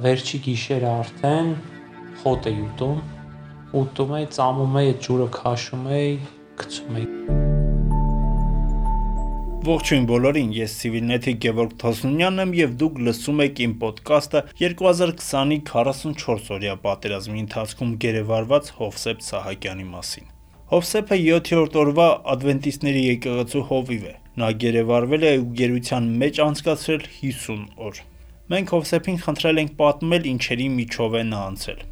վերջի գիշերը արդեն խոտ էի ուտում էի, ծամում էի, այդ ջուրը քաշում էի, գցում էի։ Ողջույն բոլորին, ես Civilnet-ի Գևորգ Թոսունյանն եմ եւ դուք լսում եք իմ ոդկասթը 2020-ի 44-օրյա պատերազմի ընթացքում գերեվարված Հովսեփ Սահակյանի մասին։ Հովսեփը 7-րդ օրվա ադվենտիստների եկեղեցու հովիվ է։ Նա գերեվարվել է ու գերության մեջ անցկացրել 50 օր։ Մենք Հովսեփին խնդրել ենք պատմել ինչերի միջով է նա անցել։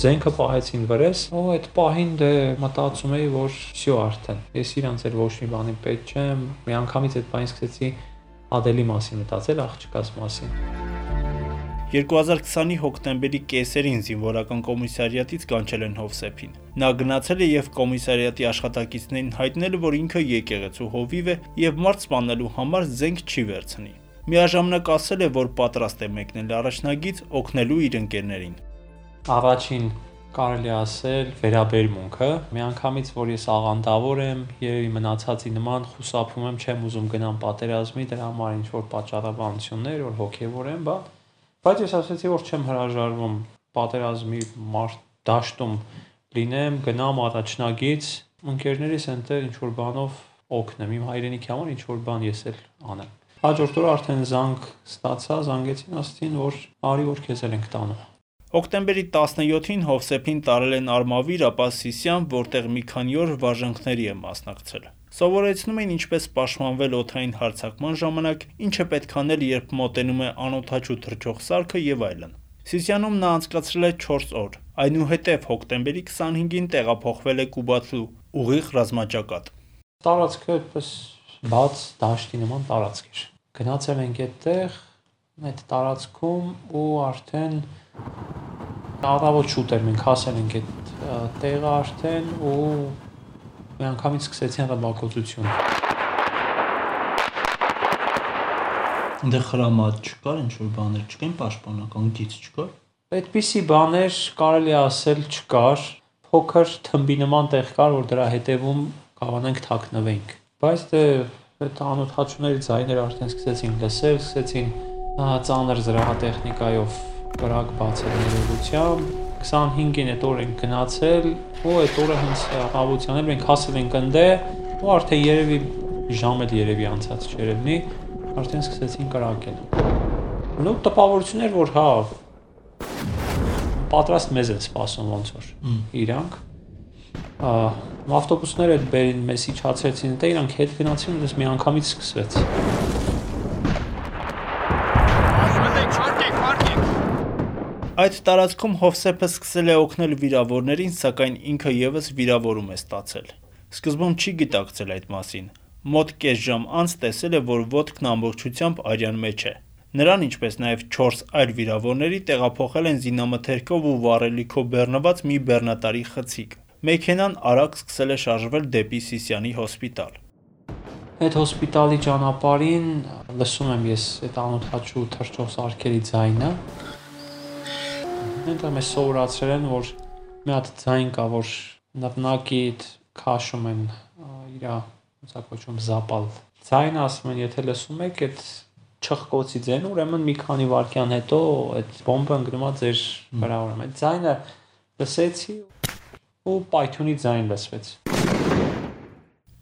Զենքը պահեցին վրես, ու այդ պահին մտածում էի, որ всё արդեն։ Ես իրանց էլ ոչ մի բանի պետք չեմ։ Մի անգամից այդ բանից սկսեցի Ադելի մասին մտածել, աղջկաս մասին։ 2020-ի հոկտեմբերի կեսերին զինվորական կոմիսարիատից կանչել են Հովսեփին։ Նա գնացել է եւ կոմիսարիատի աշխատակիցներին հայտնել, որ ինքը եկեղեցու հովիվ է եւ մարդ սպանելու համար զենք չի վերցնի։ Միաժամանակ ասել է, որ պատրաստ է մեկնել առաջնագիծ օգնելու իր ընկերներին։ Առաջին կարելի ասել վերաբերմունքը, միանգամից որ ես աղանդավոր եմ, երևի մնացածի նման խուսափում եմ, չեմ ուզում գնամ պատերազմի, դրա համար ինչ որ պատճառաբանություններ, որ հոգևոր եմ, բայց ես ասացի, որ չեմ հրաժարվում պատերազմի դաշտում լինեմ, գնամ առաջնագիծ, ընկերներիս այնտեղ ինչ որ բանով օգնեմ, իմ հայրենիքի համար ինչ որ բան ես էլ անեմ։ Հաջորդ օրը արդեն զանգ ստացա, զանգեցին, ասացին, որ արի որ քեզ էլ ենք տանում։ Հոկտեմբերի 17-ին Հովսեփին տարել են Արմավիր, ապա Սիսիան, որտեղ մի քանի օր վարժանքների է մասնակցել։ Սովորեցնում էին ինչպես պաշտպանվել օդային հարձակման ժամանակ, ինչը պետք անել, երբ մոտենում է անօդաչու թռչող սարքը եւ այլն։ Սիսիանում նա անցկացրել է 4 օր։ Այնուհետև հոկտեմբերի 25-ին տեղափոխվել է Կուբաթլու ուղիղ ռազմաճակատ։ Տարածքը այդպես բաց դաշտի նման տարածք էր։ Գնացել ենք այդտեղ, այդ տարածքում ու արդեն առավոտ շուտ էր, մենք հասել ենք այդ տեղը արդեն ու միանգամից սկսեցին ռմբակոծություն։ Այնտեղ խրամատ չկար, ինչ որ բաներ չկային, պաշտպանական գիծ չկար։ Այդպիսի բաներ կարելի ասել չկար, փոքր թմբի նման տեղ կար, որ դրա հետևում կարողանանք թաքնվենք։ Բայց այդ անօդաչուների ձայները արդեն սկսեցին լսել, սկսեցին ծանր զրահատեխնիկայով կրակ բացել ներողությամբ, 25-ին այդ օր ենք գնացել, ու այդ օրը հենց առավոտյան էլ մենք հասել ենք ընդեղ, ու արդեն երևի ժամ էլ երևի անցած չէր լինի, արդեն սկսեցին կրակել։ Ու տպավորություն էր, որ պատրաստ մեզ են սպասում ոնց որ իրանք։ Ավտոբուսները բերին մեզ իջացրեցին, դե իրանք հետ գնացին, ու մի անգամից սկսվեց։ Այդ տարածքում Հովսեփը սկսել է օգնել վիրավորներին, սակայն ինքը եւս վիրավորում է ստացել։ Սկզբում չի գիտակցել այդ մասին։ Մոտ կես ժամ անց տեսել է, որ ոտքն ամբողջությամբ արյան մեջ է։ Նրան, ինչպես նաև 4 այլ վիրավորների տեղափոխել են զինամթերքով ու վառելիքով բեռնված մի բեռնատարի խցիկ։ Մեքենան արագ սկսել է շարժվել դեպի Սիսիանի հոսպիտալ։ Այդ հոսպիտալի ճանապարհին լսում եմ ես այդ անօդաչու թռչող սարքերի ձայնը։ Այնտեղ մեզ սովորացրել են, որ մի հատ ձայն կա, որ նռնակիդ քաշում են իր ոնց զապալ ձայն, ասում են, եթե լսում եք այդ չխկոցի ձայնը, ուրեմն մի քանի վայրկյան հետո այդ բոմբը ընկնում է ձեր վրա, ուրեմն այդ ձայնը լսեցի ու պայթյունի ձայն լսվեց։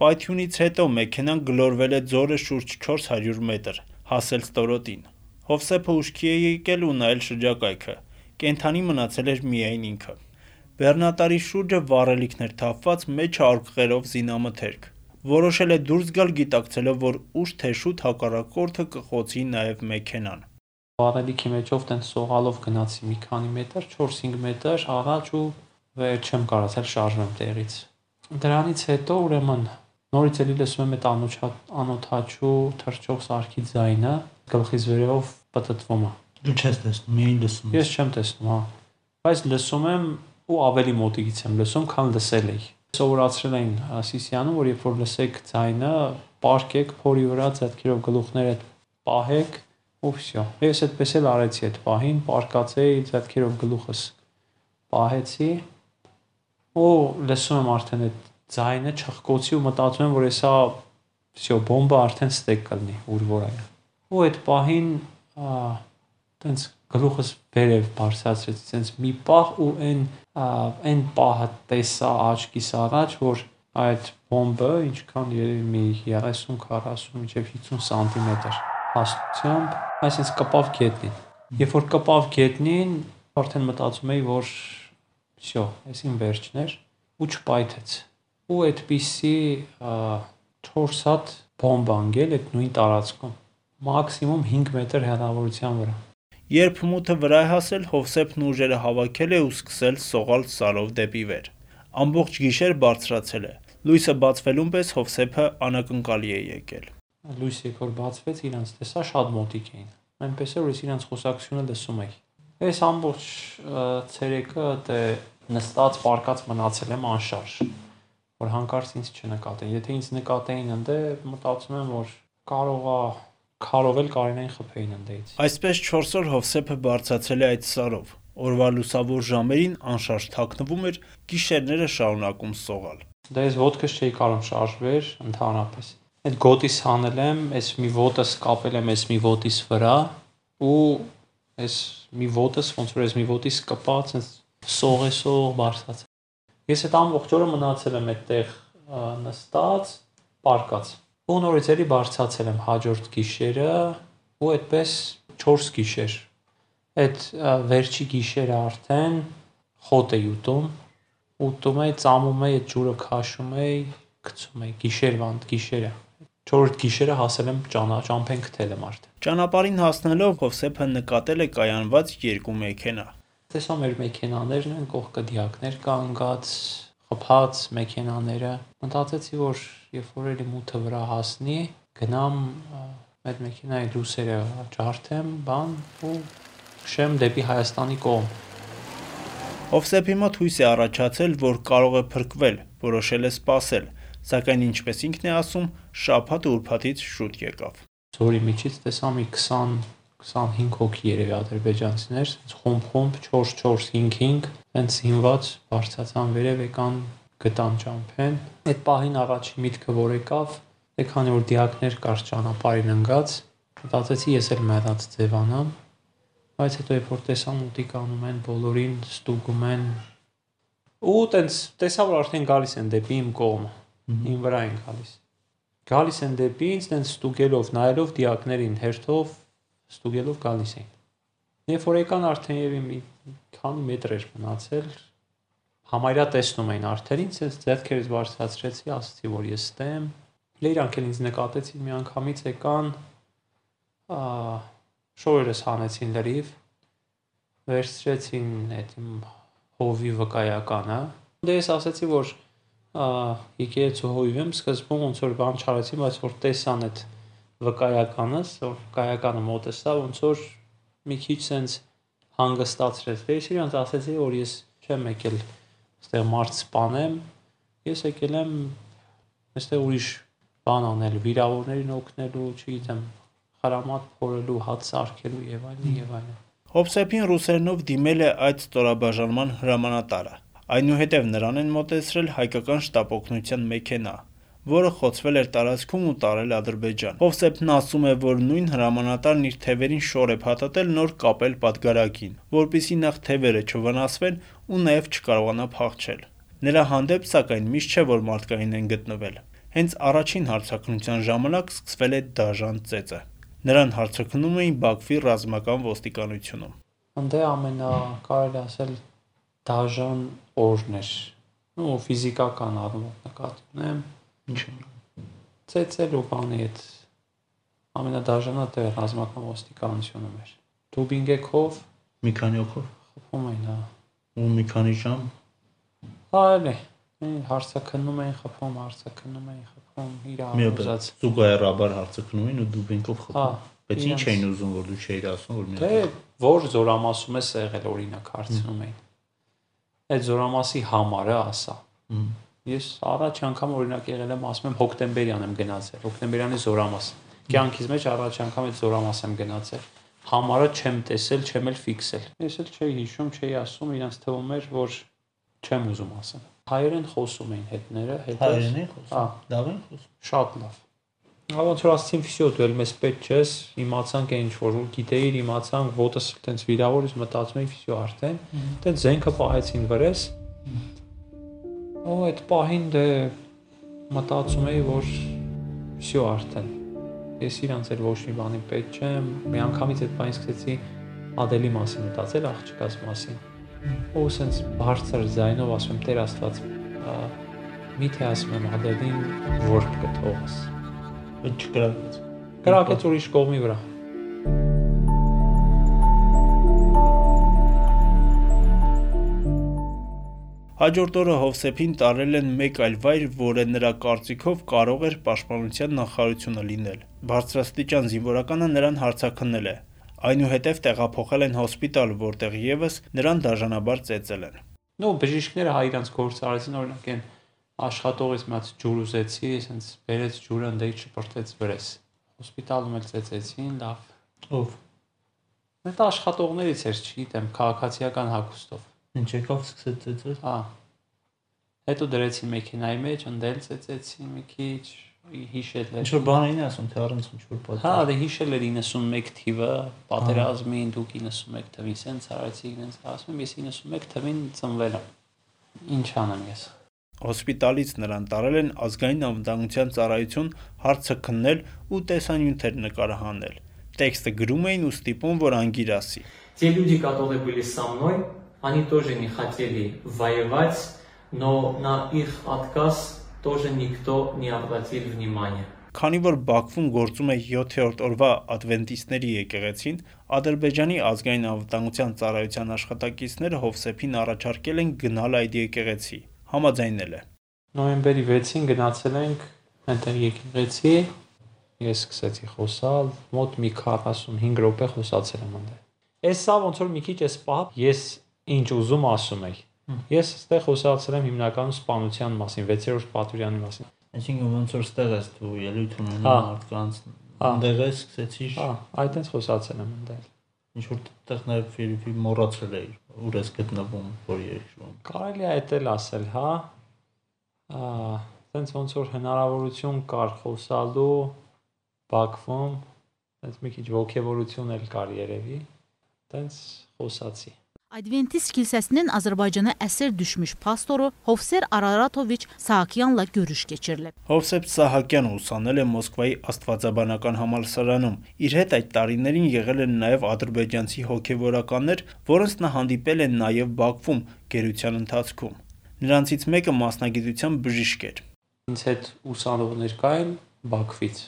Պայթյունից հետո մեքենան գլորվել է ձորը շուրջ 400 մետր, հասել ստորոտին։ Հովսեփը ուշքի է եկել ու նայել շրջակայքը։ Կենդանի մնացել էր միայն ինքը։ Բեռնատարի շուրջը վառելիքներ թափված, մեջը արկղերով զինամթերք։ Որոշել է դուրս գալ, գիտակցելով, որ ուշ թե շուտ հակառակորդը կխոցի նաև մեքենան։ Վառելիքի մեջով տենց սողալով գնացի մի քանի մետր, 4-5 մետր առաջ ու վեր չեմ կարողացել շարժվեմ տեղից։ Դրանից հետո ուրեմն նորից էլի լսում եմ այդ անօդաչու թռչող սարքի ձայնը, գլխից վերևով պտտվում է։ Դու չես տեսնում, միայն լսում ես։ Ես չեմ տեսնում, հա։ Բայց լսում եմ ու ավելի մոտիկից եմ լսում, քան լսել էի։ Սովորացրել էին Սիսիանում, որ երբ որ լսեք ձայնը, պարկեք փորի վրա ձեռքերով գլուխները պահեք ու всё։ Ես այդպես էլ արեցի այդ պահին, պարկացեի ձեռքերով գլուխս պահեցի ու լսում եմ արդեն այդ ձայնը չխկոցի ու մտածում եմ, որ հեսա всё բոմբը արդեն ստեկ կլինի, ուր որ այ։ ու այդ պահին տենց գլուխս վերև բարձրացրեցի, տենց մի պահ ու այն պահը տեսա աչքիս առաջ, որ այդ բոմբը ինչքան երևի մի 30-40 մինչև 50 սանտիմետր հաստությամբ, այսինքն կպավ գետնին։ Երբ որ կպավ գետնին, արդեն մտածում էի, որ всё, այսին վերջն էր ու չպայթեց։ Ու այդպիսի 4 հատ բոմբ անգել այդ նույն տարածքում, մաքսիմում 5 մետր հեռավորության վրա։ Երբ մութը վրա է հասել, Հովսեփն ուժերը հավաքել է ու սկսել սողալ սարով դեպի վեր։ Ամբողջ գիշեր բարձրացել է։ Լույսը բացվելուն պես Հովսեփը անակնկալի է եկել։ Լույսը երբ որ բացվեց, իրանց տեսա շատ մոտիկ էին։ Այնպես էր, որ ես իրանց խոսակցությունը լսում էի։ Այս ամբողջ ցերեկը դե նստած պարկած մնացել եմ անշարժ, որ հանկարծ ինձ չնկատեն։ Եթե ինձ նկատեին ընդ, մտածում եմ, որ կարողա քարով էլ կարենային խփեին ընդից։ Այսպես 4 օր Հովսեփը բարձրացել է այդ սարով։ Օրվա լուսավոր ժամերին անշարժ թաքնվում էր, գիշերները շարունակում սողալ։ Դա ես ոտքս չէի կարող շարժվեր ընդհանրապես։ Այդ գոտիս հանել եմ, այս մի ոտս կապել եմ այս մի ոտիս վրա ու այս մի ոտս ոնց որ այս մի ոտիս կպած սող բարձրացել։ Ես այդ ամբողջ օրը մնացել եմ այդտեղ նստած, պարկած։ Ու նորից էլի բարձրացել եմ հաջորդ գիշերը ու այդպես 4 գիշեր։ Այդ վերջի գիշերը արդեն խոտ էի ուտում էի, ծամում էի, այդ ջուրը քաշում էի, գցում էի գիշերը։ 4-րդ գիշերը հասել եմ ճամփեն գտել եմ արդեն։ Ճանապարհին հասնելով Հովսեփը նկատել է կայանված 2 մեքենա։ Տեսա մեր մեքենաներն են, կողքը դիակներ կանգած, խփած մեքենաները։ Մտածեցի, որ երբ որ էլի մութը վրա հասնի, գնամ այդ մեքենայի լույսերը ջարդեմ, ու քշեմ դեպի Հայաստանի կողմ։ Հովսեփի մոտ հույս է առաջացել, որ կարող է փրկվել, որոշել է սպասել, սակայն ինչպես ինքն է ասում, շաբաթը ուրբաթից շուտ եկավ։ Ձորի միջից տեսա մի 20-25 հոգի երևի ադրբեջանցիներ, խումբ 4-4-5-5, հենց հիմված բարձրացան վերև եկան գտան ճամփեն։ Այդ պահին առաջի միտքը որ եկավ, քանի որ դիակներ կար ճանապարհին ընկած, մտածեցի ես էլ մեռած ձևանամ, բայց հետո երբ որ տեսա մոտիկ անում են, բոլորին ստուգում են, ու տենց տեսա որ արդեն գալիս են դեպի իմ կողմը, իմ վրա են գալիս։ Գալիս են դեպի ինձ, տենց ստուգելով, նայելով դիակներին, հերթով ստուգելով գալիս էին։ Երբ որ եկան արդեն եւ մի քանի մետր էր մնացել, համարյա տեսնում էին արդեն ինձ, ես ձեռքերս բարձրացրեցի, ասացի որ ես ստեմ։ Իրանք էլ ինձ նկատեցին միանգամից եկան, շորերս հանեցին լրիվ, վերցրեցին այդ իմ հովի վկայականը։ Դե ես ասացի որ եկեղեցու հովիվ եմ, սկզբում ոնց որ բան չարեցի, բայց որ տեսան այդ վկայականս, որ վկայականը մոտս տա, ոնց որ մի քիչ sense հանգստացրեց։ Ես իրանց ասացի որ ես չեմ եկել այստեղ մարդ սպանեմ, ես եկել եմ այստեղ ուրիշ բան անել, վիրավորներին օգնելու, չգիտեմ, խրամատ փորելու, հաց սարքելու եւ այլն։ Հովսեփին ռուսերենով դիմել է այդ ստորաբաժանման հրամանատարը։ Այնուհետև նրան են մոտեցրել հայկական շտապօգնության մեքենա, որը խոցվել էր տարածքում ու տարել Ադրբեջան։ Հովսեփն ասում է, որ նույն հրամանատարն իր թևերին շոր է փաթաթել նոր կապել պատգարակին, որպեսզի նախ թևերը չվնասվեն ու նաև չկարողանա փախչել։ Նրա հանդեպ սակայն միշտ չէ, որ մարդկային են գտնվել։ Հենց առաջին հարցաքննության ժամանակ սկսվել է դաժան ծեծը։ Նրան հարցաքննում էին Բաքվի ռազմական ոստիկանությունում։ Անդե կարելի ասել դաժան օրն էր։ Ու ֆիզիկական առումով նկատի ունեմ։ Ինչ Ծեծելու բանի այդ ամենադաժանը դե ռազմական ոստիկանությունում էր։ Դուբինգեքով մի քանի օքով խփում էին, հա։ ու մի քանի ժամ Այո, հարցաքննում էին խփում, իրար ուզած։ Զուգահեռաբար հարցաքննում էին ու դուբինգով խփում։ Բայց ինչ էին ուզում որ դու չէիր ասում որ մի Դե որ զորամասում ես եղել օրինակ հարցնում էին։ Այդ զորամասի համարը ասա։ Ես առաջ անգամ օրինակ եղել եմ, ասում եմ հոկտեմբերյան եմ գնացել, հոկտեմբերյանի զորամաս։ Կյանքից մեջ առաջ անգամ այդ զորամաս եմ գնացել։ Համարը չեմ տեսել, չեմ էլ ֆիքսել։ Ես էլ չէի հիշում, չէի ասում, իրանց թվում էր, որ չեմ ուզում ասեմ։ Հայերեն խոսում էին հետները, հետո հայերեն խոսում։ Լավ են խոսում։ Շատ լավ։ Ոնց որ ասեցին, վсё, դու էլ մեզ պետք չես, իմացանք այն ինչ որ գիտեիր, իմացանք, ոտս տենց վիրավորից մտածում էի, վсё արդեն, տենց զենքը պահեցին վրես։ Ու այդ պահին դե մտածում էի, որ վсё արդեն։ Ես իրանց էլ ոչ մի բանի պետք չեմ, մի անգամից այդ բանից սկսեցի Ադելի մասին մտածել, աղջկաս մասին։ Ու սենց բարձր ձայնով ասում եմ, Տեր Աստված, միթե ասում եմ Ադելին, որ կթողես։ Բայց չկրակեց։ Կրակեց ուրիշ կողմի վրա։ Հաջորդ օրը Հովսեփին տարել են մեկ այլ վայր, որը նրա կարծիքով կարող էր պաշտպանության նախարարությունը լինել։ Բարձրաստիճան զինվորականը նրան հարցաքննել է։ Այնուհետև տեղափոխել են հոսպիտալ, որտեղ եւս նրան դաժանաբար ծեծել են։ Նո, բժիշկները հայ իրանց գործ արեցին, օրինակ այն աշխատողից մի հատ ջուր ուզեցի, ասենց բերեց ջուրը, ընդեի շպրտեց վրես։ Հոսպիտալում էլ ծեծեցին, լավ։ Ով։ Այդ աշխատողներից էր, չգիտեմ, քաղաքացիական հագուստով։ Ինչ եկավ սկսեց ծեծել։ Հա։ Հետո դրեցին մեքենայի մեջ, ընդել ծեծեցին մի քիչ, հիշել էր։ Ինչ որ բան էին ասում, թե առանց ինչ որ պատճառ։ Հա, դե հիշել էր 91 թիվը, պատերազմին, դուք 91 թվին սենց արեցիք, ինձ ասում եմ, ես 91 թվին ծնվել եմ։ Ինչ անեմ ես։ Հոսպիտալից նրան տարել են ազգային անվտանգության ծառայություն հարցը քննել ու տեսանյութեր նկարահանել։ Տեքստը գրում էին ու ստիպում, որ անգիր ասի։ Те люди, которые были со мной, они тоже не хотели воевать, но на их отказ тоже никто не обратил внимания. Քանի որ Բաքվում գործում է 7-րդ օրվա ադվենտիստների եկեղեցին, Ադրբեջանի ազգային անվտանգության ծառայության աշխատակիցները Հովսեփին առաջարկել են գնալ այդ եկեղեցի։ Համաձայնել է։ Նոյեմբերի 6-ին գնացել ենք այնտեղ եկեղեցի, ես սկսեցի խոսալ, մոտ մի 45 րոպե խոսացել եմ այնտեղ։ Էս սա ոնց որ մի քիչ էս պահ ես ինչ ուզում ասում եի։ Ես այստեղ խոսացել եմ հիմնականում սպանության մասին, 6-րդ պատվիրանի մասին։ Այսինքն ոնց որ ստեղ ես դու ելույթ ունենում մարդկանց, այնտեղ ես սկսեցիր։ Հա, այդտենց խոսացել եմ այնտեղ։ Ինչ որ տեղ նաև ֆիլմի մոռացել էի, ուր ես գտնվում, որ երգում։ Կարելի է այդել ասել, հա։ Այդտենց ոնց որ հնարավորություն կար խոսալու Բաքվում, այդպես մի քիչ ոգևորություն էլ կար երևի, այդտենց խոսացի։ Adventist kilsəsinin Azərbaycana əsir düşmüş pastoru Hovser Araratovich Sahakyanla görüş keçirilib. Հովսեփ Սահակյանը ուսանել է Մոսկվայի Աստվածաբանական համալսարանում։ Իր հետ այդ տարիներին եղել են նաև ադրբեջանցի հոգևորականներ, որոնց նա հանդիպել է նաև Բաքվում գերության ընթացքում։ Նրանցից մեկը մասնագիտությամբ բժիշկ էր։ Ինձ հետ ուսանողներ կային Բաքվից,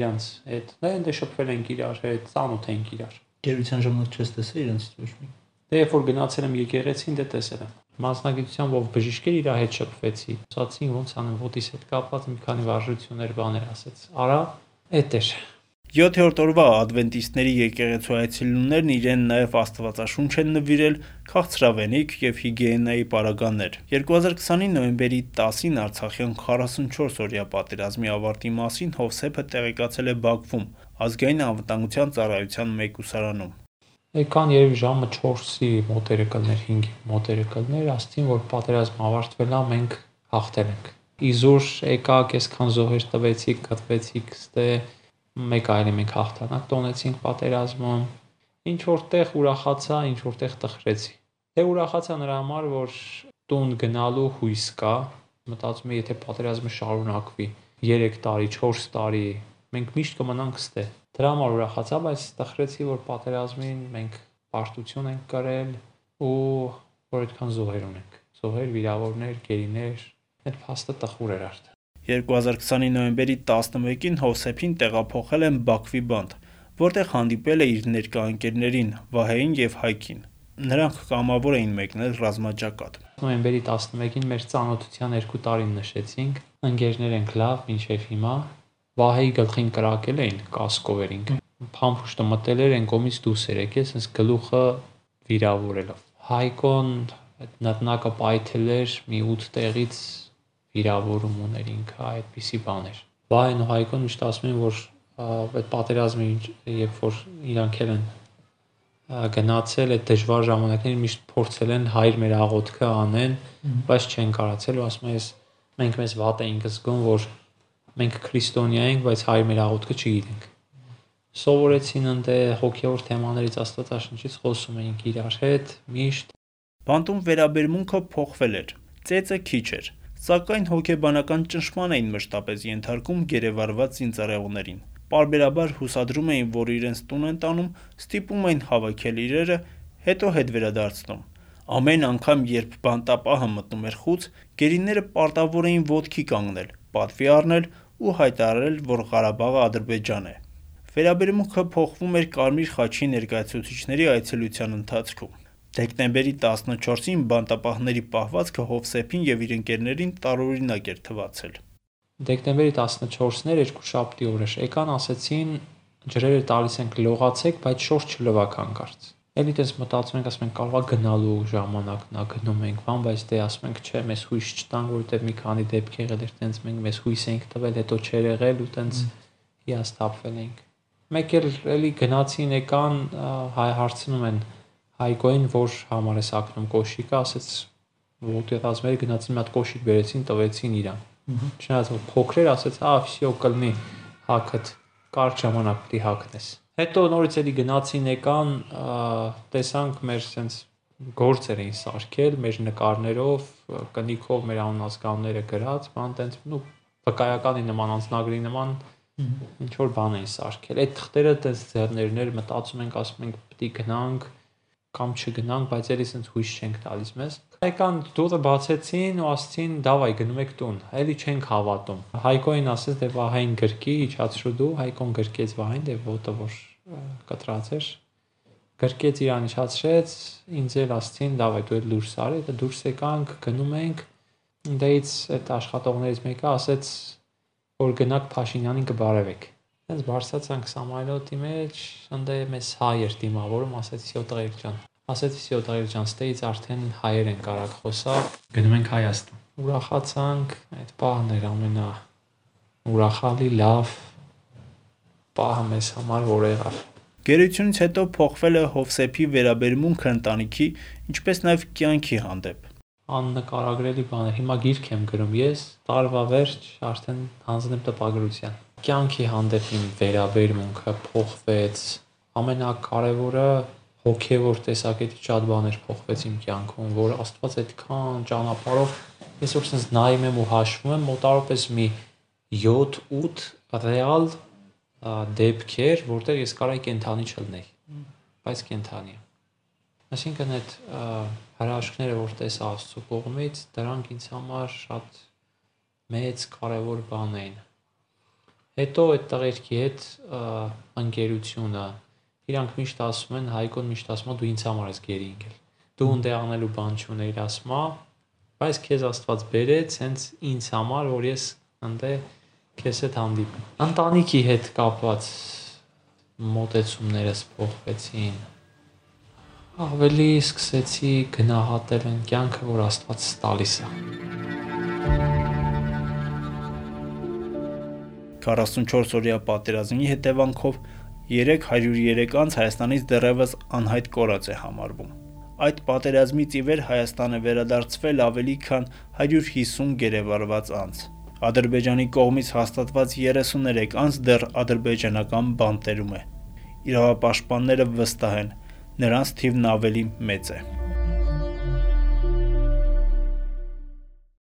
իրանց հետ։ Դե շփվել ենք իրար հետ, ծանոթ ենք իրար։ Գերության ժամանակ չես տեսել իրենցից ոչ մի։ Դե երբ որ գնացել եմ եկեղեցին, դե տեսել եմ։ Մասնագիտությամբ ով բժիշկ էր իր հետ շփվեցի։ Ասացին ոնց անեմ, ոտիս հետ կապված մի քանի վարժություններ բաներ ասեց։ Արա, էդ էր։ 7-րդ օրվա ադվենտիստների եկեղեցու այցելուներն իրեն նաև Աստվածաշունչ են նվիրել, քաղցրավենիք եւ հիգիենայի պարագաներ։ 2020-ի նոյեմբերի 10-ին Արցախյան 44-օրյա պատերազմի ավարտի մասին Հովսեփը տեղեկացել է Բաքվում ազգային անվտանգության ծառայության մեկուսարանում։ Եկան երևի ժամը 4-ի մոտերը կլներ, 5-ի մոտերը կլներ, ասցին որ պատերազմը ավարտվել է, մենք հաղթել ենք։ Իզուր եկաք, այսքան զոհեր տվեցիք, կտվեցիք, ստե մեկ այլ մենք հաղթանակ տոնեցինք պատերազմում։ Ինչ որտեղ ուրախացա, ինչ որտեղ տխրեցի։ Դե ուրախացա նրա համար, որ տուն գնալու հույս կա, մտածում եմ, եթե պատերազմը շարունակվի 3 տարի, 4 տարի, մենք միշտ կմնանք ստե։ Դրա համար ուրախացա, բայց տխրեցի, որ պատերազմին մենք պարտություն ենք կրել ու որ այդքան զոհեր ունենք։ Զոհեր, վիրավորներ, գերիներ, այդ փաստը տխուր էր արդեն։ 2020-ի նոյեմբերի 11-ին Հովսեփին տեղափոխել են Բաքվի բանտ, որտեղ հանդիպել է իր ներկա ընկերներին Վահեին եւ Հայքին։ Նրանք կամավոր էին մեկնել ռազմաճակատ։ Նոյեմբերի 11-ին մեր ծանոթության 2 տարին նշեցինք, ընկերներ ենք լավ, մինչև հիմա։ Վահեի գլխին կրակել էին, կասկով էինք։ Փամփուշտը մտել էր, այն կողմից դուրս էր եկել, ասես գլուխը վիրավորելով։ Հայկոն այդ նտնակը պայթել էր, մի 8 տեղից վիրավորում ուներ ինքը, այդպիսի բաներ։ Վահեն ու Հայկոն միշտ ասում են, որ այդ պատերազմի երբ որ իրանք են գնացել այդ դժվար ժամանակներին միշտ փորձել են հայր մեր աղոթքը անեն, բայց չեն կարացել ու ասում են, մենք մեզ վատ էինք զգում, որ մենք քրիստոնյա ենք, բայց հայ մեր աղոթքը չգիտենք։ Սովորեցին ընդ հոգևոր թեմաներից Աստվածաշնչից խոսում էինք իրար հետ միշտ։ Բանտում վերաբերմունքը փոխվել էր, ծեծը քիչ էր, սակայն հոգեբանական ճնշման էին մշտապես ենթարկում գերեվարված զինծառայողներին։ Պարբերաբար հուսադրում էին, որ իրենց տուն են տանում, ստիպում էին հավաքել իրերը, հետո հետ վերադարձնում։ Ամեն անգամ, երբ բանտապահը մտնում էր խուց, գերիները պարտավոր էին ոտքի կանգնել, պատվի առնել ու հայտարարել, որ Ղարաբաղը Ադրբեջան է։ Վերաբերմունքը փոխվում էր Կարմիր խաչի ներկայացուցիչների այցելության ընթացքում։ Դեկտեմբերի 14-ին բանտապահների պահվածքը Հովսեփին եւ իր ընկերներին տարօրինակ էր թվացել։ Դեկտեմբերի 14-ն էր երկուշաբթի օրը, եկան ասեցին ջրերը տալիս ենք լողացեք, բայց շորջ չլվակ հանկարծ։ Էլի դες մտածում ենք, ասում ենք կարողա գնալու ժամանակն է, գնում ենք, բան, բայց դե ասում ենք, չէ, մեզ հույս չտան, որովհետեւ մի քանի դեպք եղել էր, տենց մենք մեզ հույս ենք տվել, հետո չեր եղել ու տենց հիասթափվել ենք։ Մեկ էլի գնացին եկան, հարցնում են Հայկոին, որ համար է սակնում կոշիկը, ասեց ոտեղածները գնացին մի հատ կոշիկ բերեցին, տվեցին իրան։ Չնայած որ փոքր էր, ասեց, всё կլնի հակդ, կարճ ժամանակ պիտի հակնես։ Հետո նորից էլի գնացին եկան, տեսանք մեր sense գործեր էին սարքել, մեր նկարներով, կնիքով մեր անունազգանները գրած, բան տենց, վկայականի նման, անձնագրի նման ինչ որ բան էին սարքել։ Այդ թղթերը տես ձեռներներ մտածում ենք, ասում ենք պիտի գնանք կամ չգնանք, բայց էլի sense հույս չենք տալիս մեզ։ Եկան դուռը բացեցին ու ասցին դավայ գնում եք տուն։ Էլի չենք հավատում։ Հայկոին ասեց դե Վահային գրկի, իջացրու դու, Հայկոն գրկեց Վահային, դե ոտը որ կտրած էր։ Գրկեց իրան իջացրեց, ինձ էլ ասցին դավայ դու էլ դուրս արի, դե դուրս եկանք, գնում ենք։ Դեից այդ աշխատողներից մեկը ասեց որ գնաք Փաշինյանին կբարևեք։ Հենց բարձրացանք Սամարիլոտի մեջ, ընդ մեզ հայ էր դիմավորում, ասեցի Սյոտղեր ջան։ Ասեցի Սյոտղեր ջան, ստեից արդեն հայեր են կարակ խոսալ, գնում ենք Հայաստան։ Ուրախացանք, այդ պահն էր ամենա ուրախալի լավ պահը մեզ համար, որ եղավ։ Գերությունից հետո փոխվել է Հովսեփի վերաբերմունքը ընտանիքի, ինչպես նաև կյանքի հանդեպ։ Աննկարագրելի բան է։ Հիմա գիրք եմ գրում ես, տարվա վերջ արդեն հանձնեմ տպագրության։ Կյանքի հանդեպ իմ վերաբերմունքը փոխվեց։ Ամենակարևորը հոգևոր տեսակետից շատ բաներ փոխվեց իմ կյանքում, որ Աստված այդքան ճանապարհով ես որ sense նայում եմ ու հաշվում եմ, մոտավորապես մի 7-8 ռեալ դեպքեր, որտեղ ես կարայի կենթանի չլնեի, բայց կենթանի եմ։ Այսինքն այդ հրաշքները, որ տեսա Աստծո կողմից, դրանք ինձ համար շատ մեծ կարևոր բան էին։ Հետո այդ տղերքի հետ ընկերությունը, իրանք միշտ ասում են, Հայկոն միշտ ասում է դու ինձ համար ես գերի ընկել։ Դու ընդ անելու բան չուներ, ասում է, բայց քեզ Աստված բերեց հենց ինձ համար, որ ես ընդ քեզ հետ հանդիպեմ։ Ընտանիքի հետ կապված մոտեցումներս փոխվեցին։ Ավելի սկսեցի գնահատել այն կյանքը, որ Աստված տալիս է։ 44-օրյա պատերազմի հետևանքով 303 անց Հայաստանից դեռևս անհայտ կորած է համարվում։ Այդ պատերազմից ի վեր Հայաստանը վերադարձվել ավելի քան 150 գերեվարված անց։ Ադրբեջանի կողմից հաստատված 33 անց դեռ ադրբեջանական բանտերում է։ Իրավապաշտպանները վստահ են, նրանց թիվն ավելի մեծ է։